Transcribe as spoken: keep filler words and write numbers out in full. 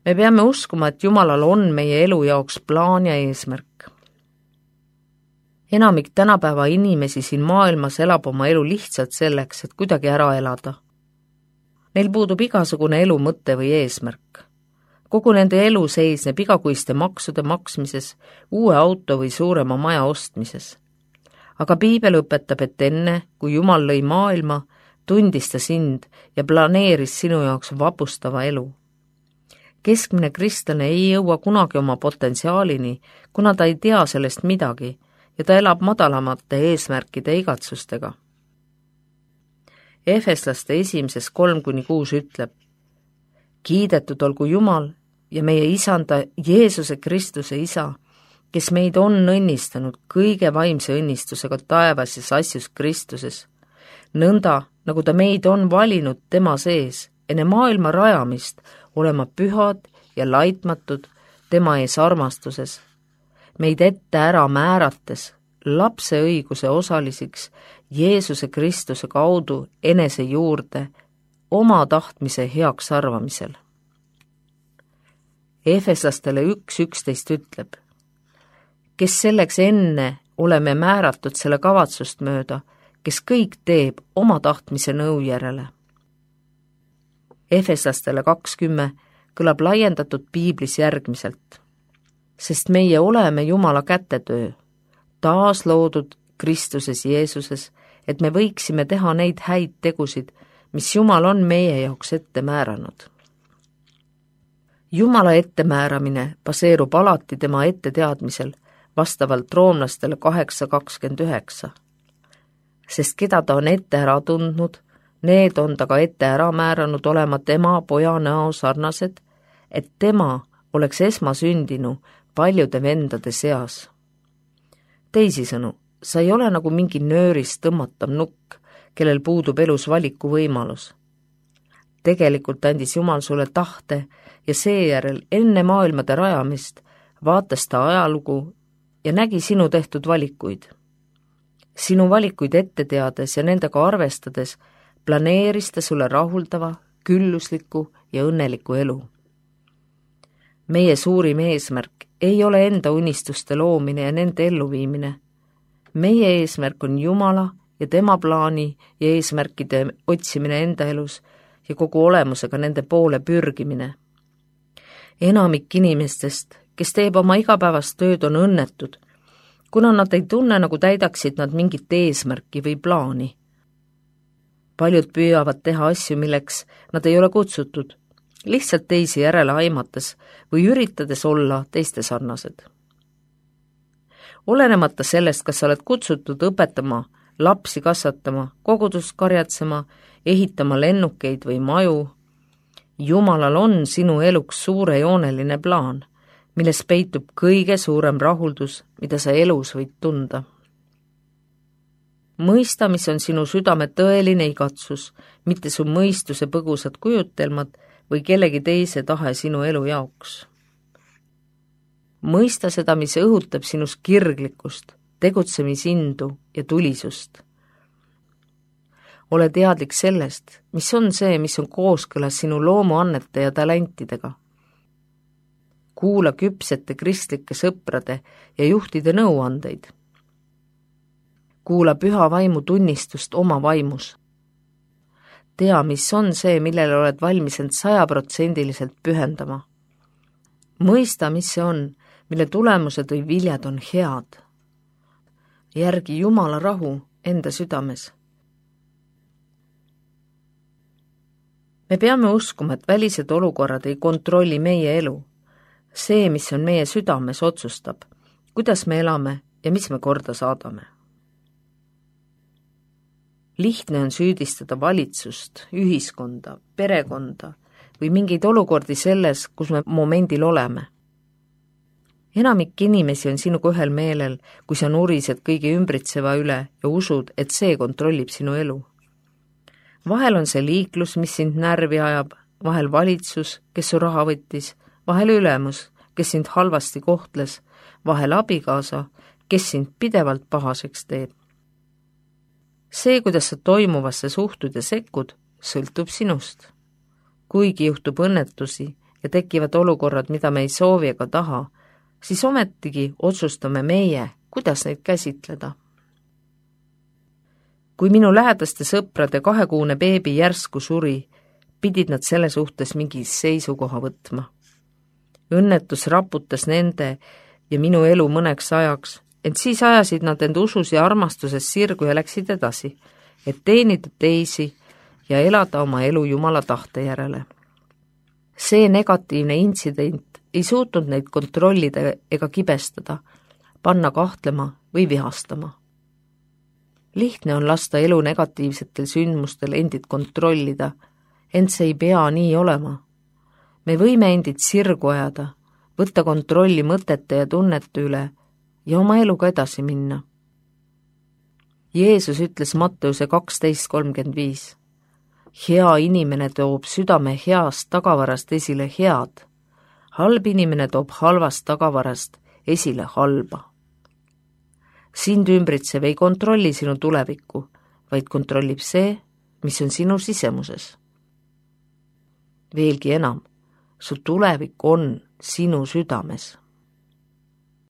Me peame uskuma, et Jumalal on meie elu jaoks plaan ja eesmärk. Enamik tänapäeva inimesi siin maailmas elab oma elu lihtsalt selleks, et kuidagi ära elada. Neil puudub igasugune elu mõte või eesmärk. Kogu nende elu seisneb igakuiste maksude maksmises, uue auto või suurema maja ostmises. Aga Piibel õpetab, et enne, kui Jumal lõi maailma, tundis ta sind ja planeeris sinu jaoks vapustava elu. Keskmine kristlane ei jõua kunagi oma potentsiaalini, kuna ta ei tea sellest midagi ja ta elab madalamate eesmärkide igatsustega. Efeslaste esimeses kolm kuni kuus ütleb: kiidetud olgu Jumal ja meie isanda Jeesuse Kristuse isa, kes meid on õnnistanud kõige vaimse õnnistusega taevases asjus Kristuses, nõnda nagu ta meid on valinud tema sees enne maailma rajamist olema pühad ja laitmatud tema ees armastuses, meid ette ära määrates lapse õiguse osalisiks Jeesuse Kristuse kaudu enese juurde oma tahtmise heaks arvamisel. Efeslastele üks üksteist ütleb: kes selleks enne oleme määratud selle kavatsust mööda, kes kõik teeb oma tahtmise nõu järele. Efeslastele kakskümmend kõlab laiendatud piiblis järgmiselt: sest meie oleme Jumala kätetöö, taas loodud Kristuses Jeesuses, et me võiksime teha neid häid tegusid, mis Jumal on meie jaoks ette määranud. Jumala ettemääramine baseerub alati tema etteteadmisel, vastavalt roomlastele kaheksa kakskümmend üheksa. Sest keda ta on ette ära tundnud, need on ta ka ette ära määranud olema tema poja näo sarnased, et tema oleks esmasündinu paljude vendade seas. Teisisõnu, sa ei ole nagu mingi nöörist tõmmatav nukk, kellel puudub elus valiku võimalus. Tegelikult andis Jumal sulle tahte ja seejärel enne maailmade rajamist vaatas ta ajalugu ja nägi sinu tehtud valikuid. Sinu valikuid ette teades ja nendega arvestades planeeris ta sulle rahuldava, küllusliku ja õnneliku elu. Meie suurim eesmärk ei ole enda unistuste loomine ja nende elluviimine. Meie eesmärk on Jumala ja tema plaani ja eesmärkide otsimine enda elus ja kogu olemusega nende poole pürgimine. Enamik inimestest, kes teeb oma igapäevast tööd, on õnnetud, kuna nad ei tunne, nagu täidaksid nad mingit eesmärki või plaani. Paljud püüavad teha asju, milleks nad ei ole kutsutud, lihtsalt teisi järele aimates või üritades olla teiste sarnased. Olenemata sellest, kas sa oled kutsutud õpetama, lapsi kasvatama, kogudust karjatsema, ehitama lennukeid või maju, Jumalal on sinu eluks suurejooneline plaan, milles peitub kõige suurem rahuldus, mida sa elus võid tunda. Mõista, mis on sinu südame tõeline igatsus, mitte su mõistuse põgusad kujutelmad või kellegi teise tahe sinu elu jaoks. Mõista seda, mis õhutab sinus kirglikkust, tegutsemisindu ja tulisust. Ole teadlik sellest, mis on see, mis on kooskõlas sinu loomuannete ja talentidega. Kuula küpsete kristlike sõprade ja juhtide nõuandeid. Kuula püha vaimu tunnistust oma vaimus. Tea, mis on see, millele oled valmis end sajaprotsendiliselt pühendama. Mõista, mis see on, mille tulemused või viljad on head. Järgi Jumala rahu enda südames. Me peame uskuma, et välised olukorrad ei kontrolli meie elu. See, mis on meie südames, otsustab, kuidas me elame ja mis me korda saadame. Lihtne on süüdistada valitsust, ühiskonda, perekonda või mingeid olukordi selles, kus me momendil oleme. Enamik inimesi on sinuga ühel meelel, kui sa nurised kõige ümbritseva üle ja usud, et see kontrollib sinu elu. Vahel on see liiklus, mis sind närvi ajab, vahel valitsus, kes su raha võttis, vahel ülemus, kes sind halvasti kohtles, vahel abikaasa, kes sind pidevalt pahaseks teeb. See, kuidas sa toimuvasse suhtud ja sekkud, sõltub sinust. Kuigi juhtub õnnetusi ja tekivad olukorrad, mida me ei soovi ega taha, siis ometigi otsustame meie, kuidas neid käsitleda. Kui minu lähedaste sõprade kahekuune beebi järsku suri, pidid nad selle suhtes mingi seisukoha võtma. Õnnetus raputas nende ja minu elu mõneks ajaks, ent siis ajasid nad end usus ja armastuses sirgu ja läksid edasi, et teenida teisi ja elada oma elu Jumala tahte järele. See negatiivne intsident ei suutnud neid kontrollida ega kibestada, panna kahtlema või vihastama. Lihtne on lasta elu negatiivsetel sündmustel endid kontrollida, ent see ei pea nii olema. Me võime endid sirgu ajada, võtta kontrolli mõtete ja tunnete üle ja oma eluga edasi minna. Jeesus ütles Matteuse kaksteist kolmkümmend viis. Hea inimene toob südame heast tagavarast esile head, halb inimene toob halvast tagavarast esile halba. Sind ümbritsev ei kontrolli sinu tulevikku, vaid kontrollib see, mis on sinu sisemuses. Veelgi enam, su tulevik on sinu südames.